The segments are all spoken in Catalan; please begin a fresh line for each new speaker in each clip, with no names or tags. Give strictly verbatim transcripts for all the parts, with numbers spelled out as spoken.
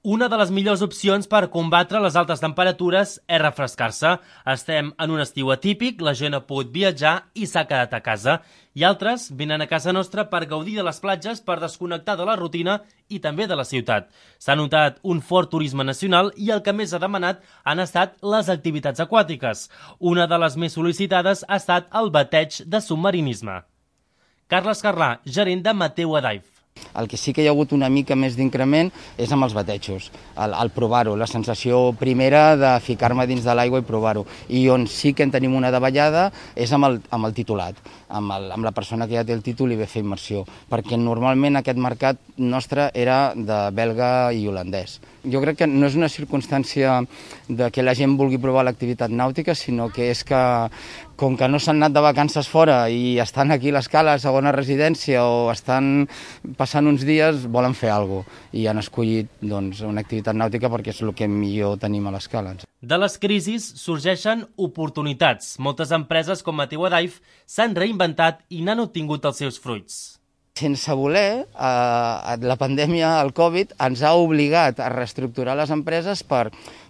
Una de les millors opcions per combatre les altes temperatures és refrescar-se. Estem en un estiu atípic, la gent ha pogut viatjar i s'ha quedat a casa. I altres venen a casa nostra per gaudir de les platges, per desconnectar de la rutina i també de la ciutat. S'ha notat un fort turisme nacional i el que més ha demanat han estat les activitats aquàtiques. Una de les més sol·licitades ha estat el bateig de submarinisme. Carles Carlà, gerent de Mateu Adaiv.
El que sí que hi ha hagut una mica més d'increment és amb els batejos, el, el provar-ho, la sensació primera de ficar-me dins de l'aigua i provar-ho. I on sí que en tenim una davallada és amb el, amb el titulat, amb, el, amb la persona que ja té el títol i ve a fer immersió, perquè normalment aquest mercat nostre era de belga i holandès. Jo crec que no és una circumstància de que la gent vulgui provar l'activitat nàutica, sinó que és que, com que no s'han anat de vacances fora i estan aquí a l'escala, a segona residència, o estan passant uns dies, volen fer alguna cosa i han escollit doncs, una activitat nàutica perquè és el que millor tenim a l'escala.
De les crisis sorgeixen oportunitats. Moltes empreses com Mateu Adaiv s'han reinventat i n'han obtingut els seus fruits.
Sense voler, eh, la pandèmia, el Covid, ens ha obligat a reestructurar les empreses per,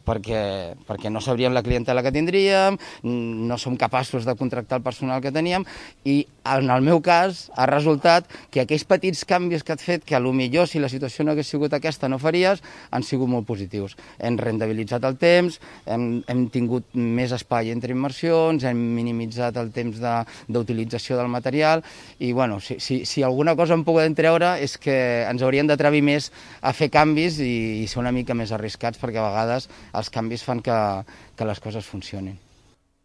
perquè, perquè no sabríem la clientela que tindríem, no som capaços de contractar el personal que teníem i en el meu cas ha resultat que aquells petits canvis que has fet, que a lo millor si la situació no hagués sigut aquesta no faries, han sigut molt positius. Hem rendibilitzat el temps, hem, hem tingut més espai entre immersions, hem minimitzat el temps d'utilització de, del material i bueno, si, si, si alguna cosa en podem treure és que ens hauríem d'atrevir més a fer canvis i, i ser una mica més arriscats perquè a vegades els canvis fan que, que les coses funcionin.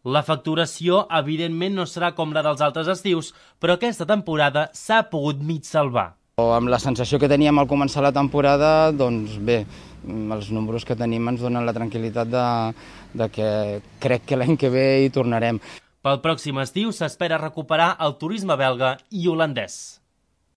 La facturació, evidentment, no serà com la dels altres estius, però aquesta temporada s'ha pogut mig salvar.
Amb la sensació que teníem al començar la temporada, doncs bé, els números que tenim ens donen la tranquil·litat de, de que crec que l'any que ve hi tornarem.
Pel pròxim estiu s'espera recuperar el turisme belga i holandès.